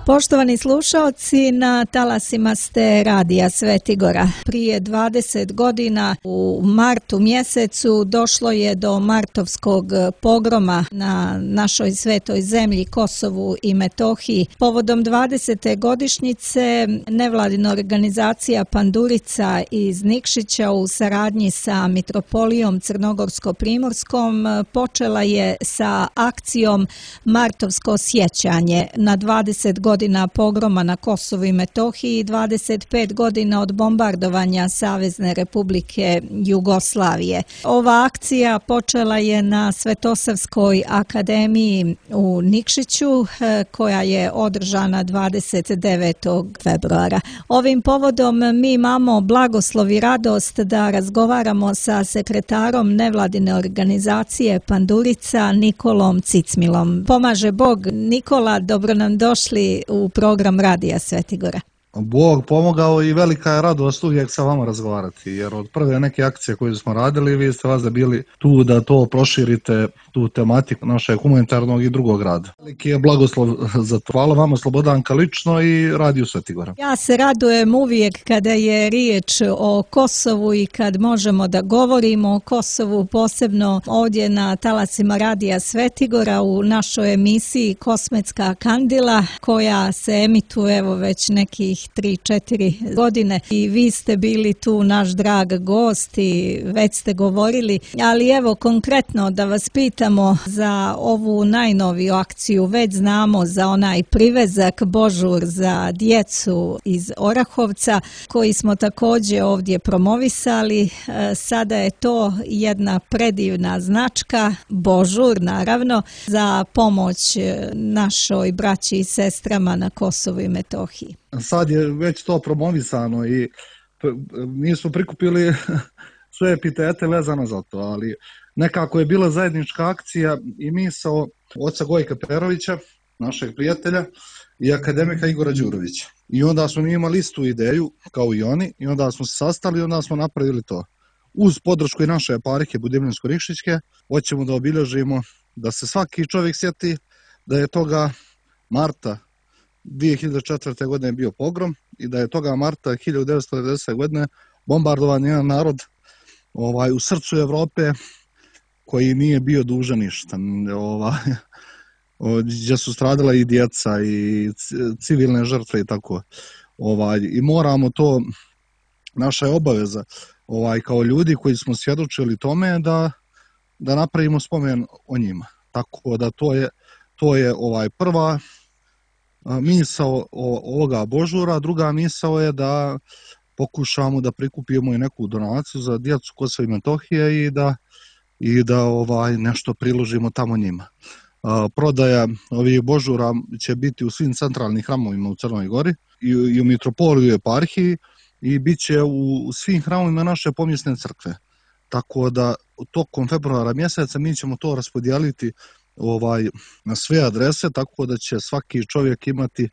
Poštovani slušaoci, na talasima ste Radija Svetigora. Prije 20 godina u martu mjesecu došlo je do martovskog pogroma na našoj svetoj zemlji Kosovu i Metohiji. Povodom 20. godišnjice nevladina organizacija Pandurica iz Nikšića u saradnji sa Mitropolijom Crnogorsko-Primorskom počela je sa akcijom Martovsko sjećanje na 20 godina pogroma na Kosovu i Metohiji i 25 godina od bombardovanja Savezne Republike Jugoslavije. Ova akcija počela je na Svetosavskoj akademiji u Nikšiću koja je održana 29. februara. Ovim povodom mi imamo blagoslov i radost da razgovaramo sa sekretarom nevladine organizacije Pandurica Nikolom Cicmilom. Pomaže Bog. Nikola, dobro nam došli u program Radija Svetigora. Bog pomogao i velika je radost uvijek sa vama razgovarati, jer od prve neke akcije koje smo radili, vi ste vas da bili tu da to proširite, tu tematiku našeg humanitarnog i drugog rada. Veliki je blagoslov za to. Hvala vama, Slobodanka, lično i Radiju Svetigora. Ja se radujem uvijek kada je riječ o Kosovu i kad možemo da govorimo o Kosovu, posebno ovdje na talasima Radija Svetigora u našoj emisiji Kosmetska kandila, koja se emituje evo već nekih 3-4 godine i vi ste bili tu naš drag gost i već ste govorili, ali evo konkretno da vas pitamo za ovu najnoviju akciju. Već znamo za onaj privezak Božur za djecu iz Orahovca koji smo također ovdje promovisali. Sada je to jedna predivna značka, Božur naravno, za pomoć našoj braći i sestrama na Kosovu i Metohiji. Sad je već to promovisano i mi smo prikupili sve epitete vezano za to, ali nekako je bila zajednička akcija i misao oca Gojka Perovića, našeg prijatelja, i akademika Igora Đurovića. I onda smo mi imali istu ideju kao i oni i onda smo se sastali i onda smo napravili to. Uz podršku i naše eparhije Budimljansko-Nikšićke hoćemo da obilježimo da se svaki čovjek sjeti da je toga marta 2004. godine bio pogrom i da je toga marta 1990. godine bombardovan jedan narod u srcu Evrope koji nije bio dužan ništa. Gdje su stradala i djeca i civilne žrtve i tako. I moramo to, naša je obaveza kao ljudi koji smo svjedočili tome da napravimo spomen o njima. Tako da to je prva misao ovoga Božura. Druga misao je da pokušamo da prikupimo i neku donaciju za djecu Kosova i Metohije i da nešto priložimo tamo njima. Prodaja ovih Božura će biti u svim centralnim hramovima u Crnoj Gori i u Mitropoliju i eparhiji i bit će u svim hramovima naše pomjesne crkve. Tako da tokom februara mjeseca mi ćemo to raspodijeliti na sve adrese, tako da će svaki čovjek imati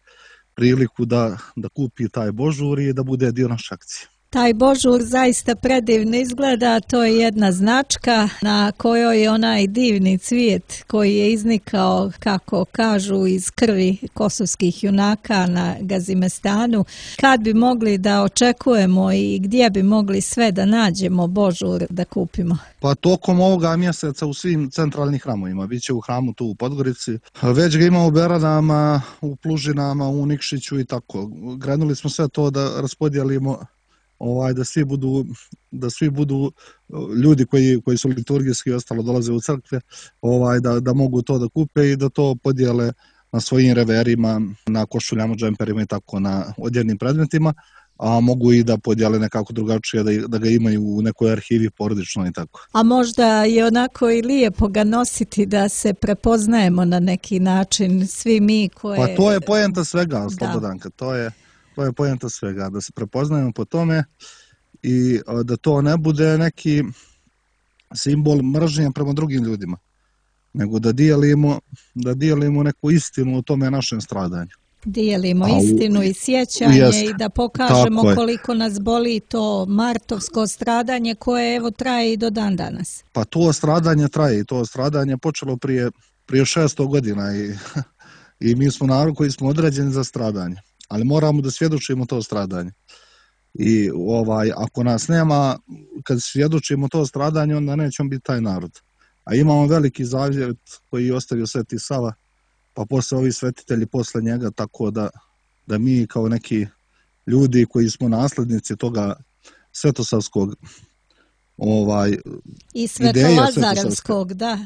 priliku da kupi taj Božur i da bude dio naše akcije. Taj Božur zaista predivno izgleda, to je jedna značka na kojoj je onaj divni cvijet koji je iznikao, kako kažu, iz krvi kosovskih junaka na Gazimestanu. Kad bi mogli da očekujemo i gdje bi mogli sve da nađemo Božur da kupimo? Pa tokom ovoga mjeseca u svim centralnim hramovima, bit će u hramu tu u Podgorici, već ga ima u Beranama, u Plužinama, u Nikšiću i tako. Krenuli smo sve to da raspodijelimo, da svi budu ljudi koji su liturgijski ostalo dolaze u crkve, da mogu to da kupe i da to podijele na svojim reverima, na košuljama, džemperima i tako, na odjevnim predmetima, a mogu i da podijele nekako drugačije, da ga imaju u nekoj arhivi porodično i tako. A možda je onako i lijepo ga nositi da se prepoznajemo na neki način, svi mi koje... Pa to je poenta svega, Slobodanka, to je poenta svega, da se prepoznajemo po tome i da to ne bude neki simbol mržnje prema drugim ljudima, nego da dijelimo neku istinu o tome našem stradanju. Dijelimo istinu i sjećanje i da pokažemo koliko nas boli to martovsko stradanje koje evo traje i do dan danas. Pa to stradanje traje i to stradanje počelo prije 600 godina i i mi smo narod koji smo određeni za stradanje, ali moramo da svjedočimo to stradanje. I ako nas nema, kad svjedočimo to stradanje, onda nećemo biti taj narod. A imamo veliki zavjet koji je ostavio Sveti Sava, pa posle ovi svetitelji posle njega, tako da mi kao neki ljudi koji smo naslednici toga svetosavskog i Svetolazarevskog, da.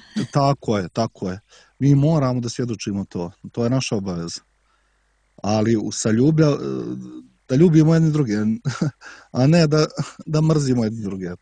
Tako je. Mi moramo da svjedočimo to je naša obaveza. Ali sa da ljubimo jedni druge, a ne da mrzimo jedni druge.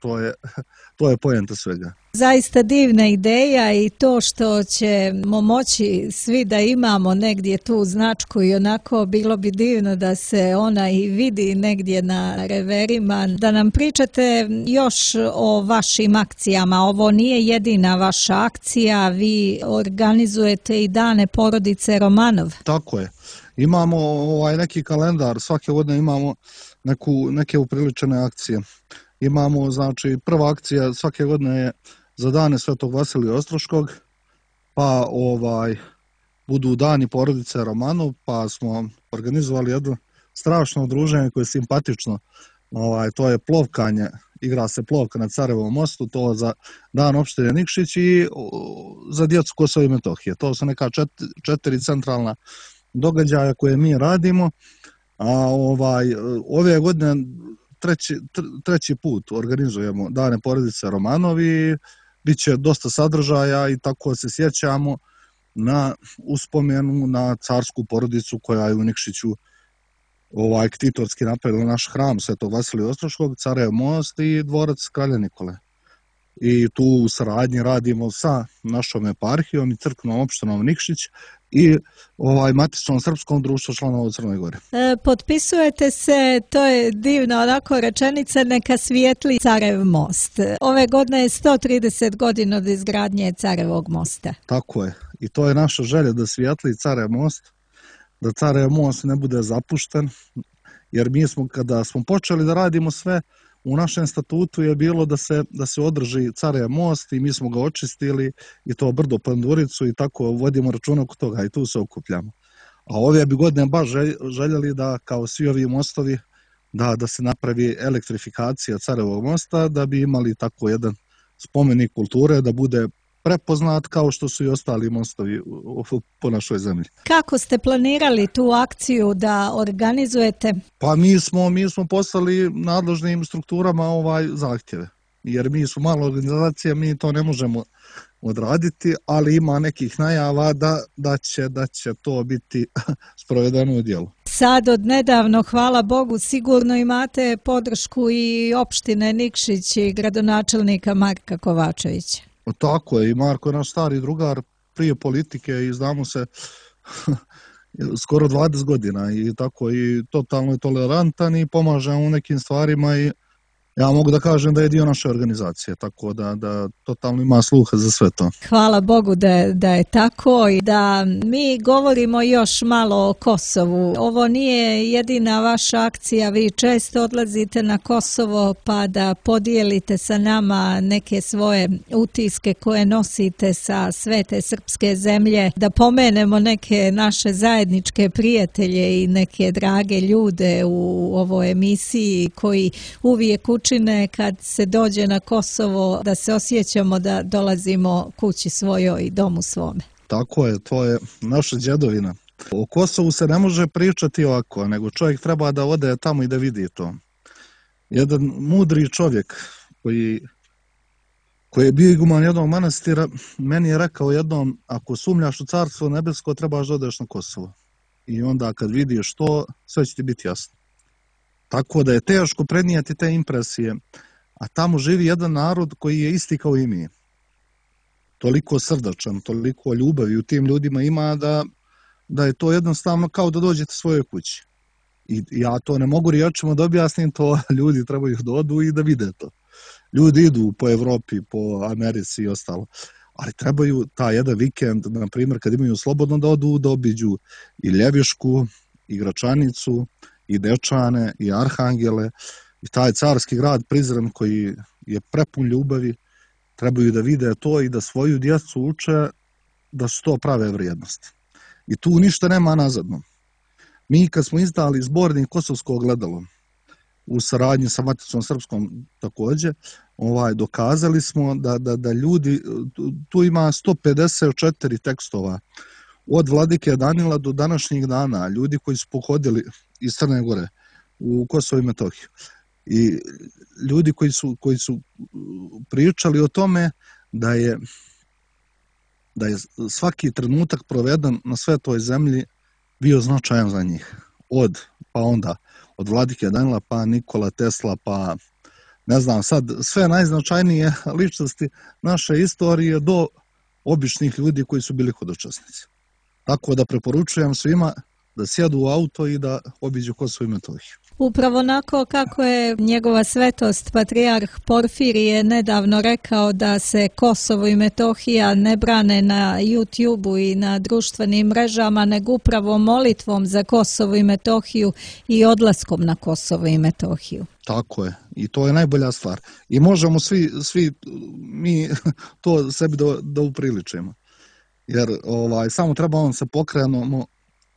To je poenta svega. Zaista divna ideja i to što ćemo moći svi da imamo negdje tu značku i onako bilo bi divno da se ona i vidi negdje na reverima. Da nam pričate još o vašim akcijama. Ovo nije jedina vaša akcija, vi organizujete i dane porodice Romanov. Tako je. Imamo neki kalendar, svake godine imamo neke upriličene akcije. Imamo, znači, prva akcija svake godine je za dane Svetog Vasilija Ostroškog, pa budu dani porodice Romanov, pa smo organizovali jedno strašno udruženje koje je simpatično. To je plovkanje, igra se plovka na Carevom mostu, to za dan opštine Nikšić i za djecu Kosova i Metohije. To su neka 4 centralna događaja koje mi radimo, a ove godine treći put organizujemo dane porodice Romanov i bit će dosta sadržaja i tako se sjećamo na uspomenu na carsku porodicu koja je u Nikšiću ktitorski napravila naš hram Svetog Vasilija Ostroškog, Carev most i dvorac Kralja Nikole. I tu u saradnji radimo sa našom eparhijom i crkvenom opštinom Nikšić i matičnom srpskom društvu članova u Crnoj Gori. Potpisujete se, to je divna onako rečenica, neka svijetli Carev most. Ove godine je 130 godina od izgradnje Carevog mosta. Tako je. I to je naša želja da svijetli Carev most, da Carev most ne bude zapušten, jer mi smo, kada smo počeli da radimo sve, u našem statutu je bilo da se održi Carev most i mi smo ga očistili i to brdo Panduricu i tako vodimo računa oko toga i tu se okupljamo. A ove bi godine baš željeli da, kao svi ovi mostovi, da se napravi elektrifikacija Carevog mosta, da bi imali tako jedan spomenik kulture, da bude prepoznat kao što su i ostali mostovi po našoj zemlji. Kako ste planirali tu akciju da organizujete? Pa mi smo poslali nadležnim strukturama zahtjeve, jer mi smo mala organizacija, mi to ne možemo odraditi, ali ima nekih najava da će to biti sprovedeno u djelu. Sad od nedavno, hvala Bogu, sigurno imate podršku i opštine Nikšić i gradonačelnika Marka Kovačevića. Tako je, i Marko je naš stari drugar prije politike i znamo se skoro 20 godina i tako i totalno je tolerantan i pomaže u nekim stvarima i ja mogu da kažem da je dio naše organizacije, tako da totalno ima sluha za sve to. Hvala Bogu da je tako i da mi govorimo još malo o Kosovu. Ovo nije jedina vaša akcija, vi često odlazite na Kosovo pa da podijelite sa nama neke svoje utiske koje nosite sa svete srpske zemlje, da pomenemo neke naše zajedničke prijatelje i neke drage ljude u ovoj emisiji koji uvijek učine kad se dođe na Kosovo da se osjećamo da dolazimo kući svojoj i domu svome. Tako je, to je naša djedovina. O Kosovu se ne može pričati ovako, nego čovjek treba da ode tamo i da vidi to. Jedan mudri čovjek koji je bio iguman jednog manastira, meni je rekao jednom, ako sumnjaš u Carstvo nebesko, trebaš da odeš na Kosovo. I onda kad vidiš to, sve će ti biti jasno. Tako da je teško prenijeti te impresije, a tamo živi jedan narod koji je isti kao i mi. Toliko srdačan, toliko ljubavi u tim ljudima ima da je to jednostavno kao da dođete svojoj kući. I ja to ne mogu riječima da objasnim, to ljudi trebaju da odu i da vide to. Ljudi idu po Evropi, po Americi i ostalo, ali trebaju taj jedan vikend, na primjer, kad imaju slobodno da odu, da obiđu i Ljevišku, i Gračanicu, i Dečane, i Arhangele, i taj carski grad Prizren koji je prepun ljubavi, trebaju da vide to i da svoju djecu uče da su to prave vrijednosti. I tu ništa nema nazadno. Mi kad smo izdali zbornik Kosovsko ogledalo, u saradnji sa Maticom Srpskom također, dokazali smo da ljudi, tu ima 154 tekstova, od Vladike Danila do današnjih dana, ljudi koji su pohodili iz Crne Gore u Kosovo i Metohiju. I ljudi koji su pričali o tome da je svaki trenutak proveden na svetoj zemlji bio značajan za njih. Od Vladike Danila, pa Nikola Tesla, pa ne znam sad, sve najznačajnije ličnosti naše istorije do običnih ljudi koji su bili hodočasnici. Tako da preporučujem svima da sjedu u auto i da obiđu Kosovo i Metohiju. Upravo onako kako je njegova svetost patrijarh Porfirije nedavno rekao da se Kosovo i Metohija ne brane na YouTube-u i na društvenim mrežama, nego upravo molitvom za Kosovo i Metohiju i odlaskom na Kosovo i Metohiju. Tako je. I to je najbolja stvar. I možemo svi mi to sebi da upriličimo. Jer samo treba se pokrenemo,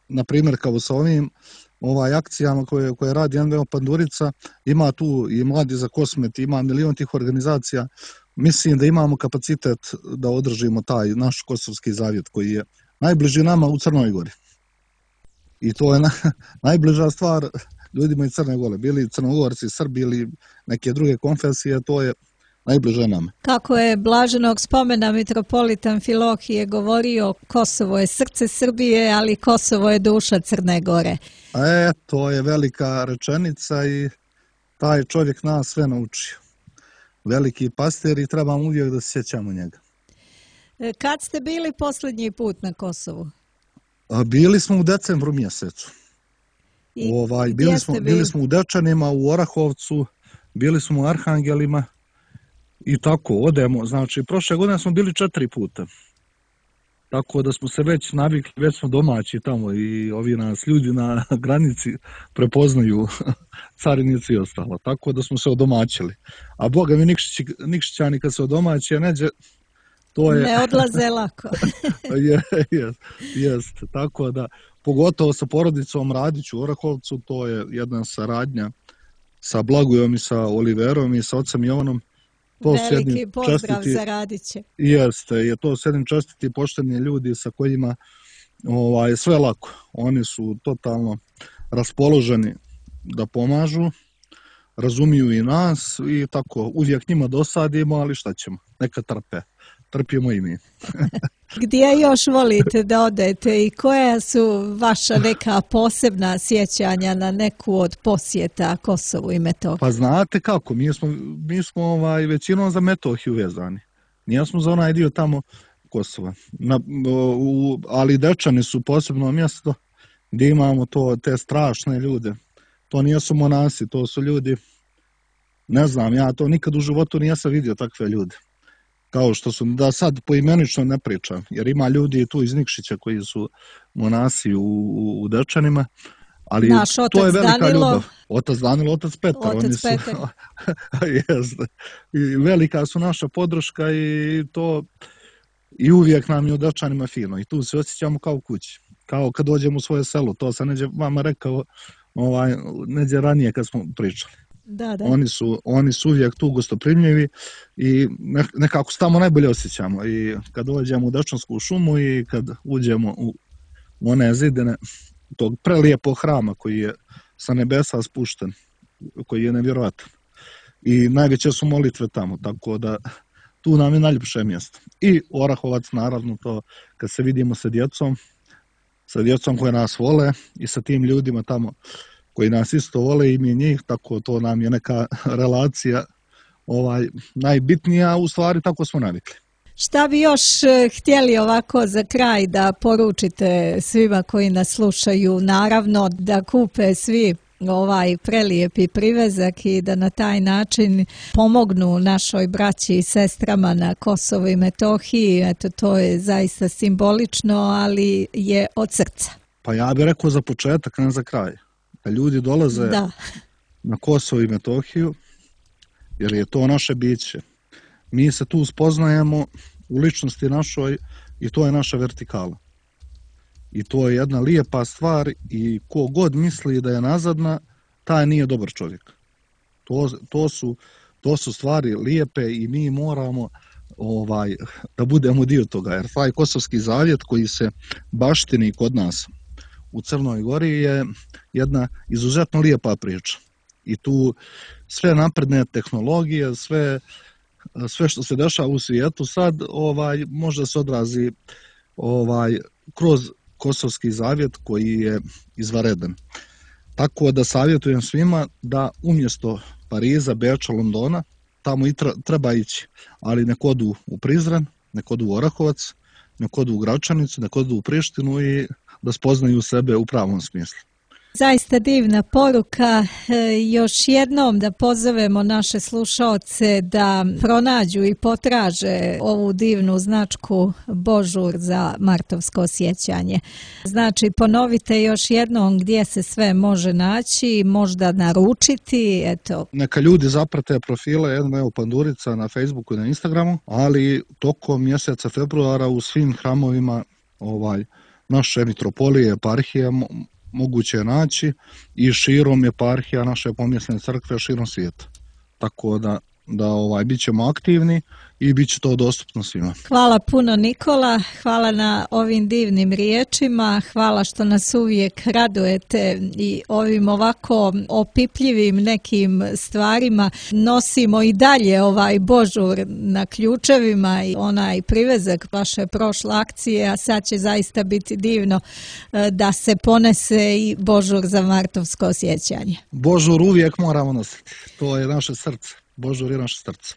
na primjer kao sa ovim akcijama koje radi NVO Pandurica, ima tu i Mladi za Kosmet, ima milion tih organizacija. Mislim da imamo kapacitet da održimo taj naš kosovski zavjet koji je najbliži nama u Crnoj Gori. I to je najbliža stvar ljudima iz Crne Gore, bili Crnogorci, Srbi ili neke druge konfesije, to je najbliže nama. Kako je blaženog spomena mitropolita Amfilohije govorio, Kosovo je srce Srbije, ali Kosovo je duša Crne Gore. To je velika rečenica i taj čovjek nas sve naučio. Veliki pastir i trebamo uvijek da se sjećamo njega. Kad ste bili posljednji put na Kosovu? Bili smo u decembru mjesecu. Bili smo u Dečanima, u Orahovcu, bili smo u Arhangelima i tako odemo. Znači, prošle godine smo bili 4 puta. Tako da smo se već navikli, već smo domaći tamo i ovi nas ljudi na granici prepoznaju, carinici i ostalo. Tako da smo se odomaćili. A boga mi Nikšićani kad se odomaće, neđe, to je... Ne odlaze lako. Jest. Tako da, pogotovo sa porodicom Radić u Orahovcu, to je jedna saradnja sa Blagujom i sa Oliverom i sa ocem Jovanom. Veliki pozdrav za Radiće. Jeste, to su jedni čestiti i pošteni ljudi sa kojima sve lako. Oni su totalno raspoloženi da pomažu, razumiju i nas i tako, uvijek njima dosadimo, ali šta ćemo, neka trpe. Trpimo i mi. Gdje još volite da odete i koja su vaša neka posebna sjećanja na neku od posjeta Kosovu i Metohiji? Pa znate kako, mi smo većinom za Metohiju vezani. Nismo za onaj dio tamo Kosova. Ali Dečani su posebno mjesto gdje imamo te strašne ljude. To nisu monasi, to su ljudi, ne znam, ja to nikad u životu nisam vidio takve ljude. Kao što su, da sad poimenično ne pričam, jer ima ljudi tu iz Nikšića koji su monasi u Dečanima, ali to je velika ljubav. Otac Danilo, otac Petar. I velika su naša podrška i to i uvijek nam je u Dečanima fino i tu se osjećamo kao u kući, kao kad dođemo u svoje selo, to sam neđe vama rekao neđe ranije kad smo pričali. Da. Oni su uvijek tu gostoprimljivi i nekako se tamo najbolje osjećamo. I kad dođemo u Dečansku šumu i kad uđemo u one zidine tog prelijepog hrama koji je sa nebesa spušten, koji je nevjerojatan. I najveće su molitve tamo, tako da tu nam je najljepše mjesto. I Orahovac, naravno, to kad se vidimo sa djecom koje nas vole i sa tim ljudima tamo koji nas isto vole i mi njih, tako to nam je neka relacija najbitnija, u stvari tako smo navikli. Šta bi još htjeli ovako za kraj da poručite svima koji nas slušaju? Naravno da kupe svi prelijepi privezak i da na taj način pomognu našoj braći i sestrama na Kosovu i Metohiji. Eto, to je zaista simbolično, ali je od srca. Pa ja bih rekao za početak, ne za kraj. Da ljudi dolaze na Kosovo i Metohiju, jer je to naše biće. Mi se tu spoznajemo u ličnosti našoj i to je naša vertikala. I to je jedna lijepa stvar i ko god misli da je nazadna, taj nije dobar čovjek. To su stvari lijepe i mi moramo da budemo dio toga, jer taj Kosovski zavjet koji se baštini kod nas u Crnoj Gori je jedna izuzetno lijepa priča. I tu sve napredne tehnologije, sve što se dešava u svijetu sad možda se odrazi kroz Kosovski zavjet koji je izvanredan. Tako da savjetujem svima da umjesto Pariza, Beča, Londona, tamo i treba ići, ali nek odu u Prizren, nek odu u Orahovac, nek odu u Gračanicu, nek odu u Prištinu i da spoznaju sebe u pravom smislu. Zaista divna poruka. Još jednom da pozovemo naše slušaoce da pronađu i potraže ovu divnu značku Božur za martovsko sjećanje. Znači, ponovite još jednom gdje se sve može naći, možda naručiti, eto. Neka ljudi zaprate profile Evo Pandurica na Facebooku i na Instagramu, ali tokom mjeseca februara u svim hramovima naše mitropolije, eparhije moguće je naći i širom eparhija naše pomjesne crkve širom svijeta. Tako da bit ćemo aktivni i bit će to dostupno svima. Hvala puno Nikola, hvala na ovim divnim riječima, hvala što nas uvijek radujete i ovim ovako opipljivim nekim stvarima nosimo i dalje ovaj Božur na ključevima i onaj privezak vaše prošle akcije, a sad će zaista biti divno da se ponese i Božur za martovsko sjećanje. Božur uvijek moramo nositi, to je naše srce. Božur je naše srce.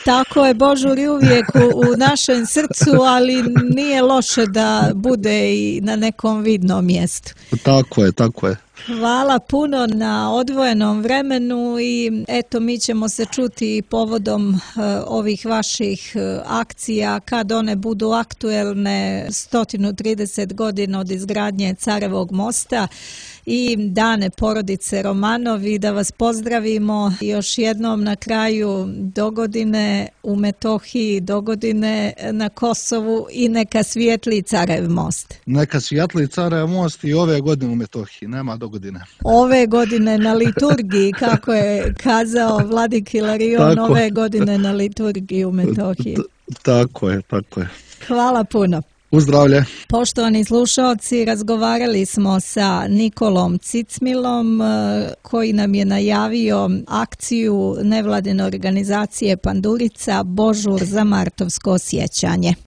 Tako je, Božur je uvijek u našem srcu, ali nije loše da bude i na nekom vidnom mjestu. Tako je. Hvala puno na odvojenom vremenu i eto mi ćemo se čuti povodom ovih vaših akcija kad one budu aktuelne 130 godina od izgradnje Carevog mosta i dane porodice Romanovi, da vas pozdravimo još jednom na kraju dogodine u Metohiji, dogodine na Kosovu i neka svijetli Carev most. Neka svijetli Carev most i ove godine u Metohiji, nema dogodine. Ove godine na liturgiji, kako je kazao Vladik Hilarion, ove godine na liturgiji u Metohiji. Tako je. Hvala puno. Uzdravlje. Poštovani slušalci, razgovarali smo sa Nikolom Cicmilom koji nam je najavio akciju nevladine organizacije Pandurica Božur za martovsko sjećanje.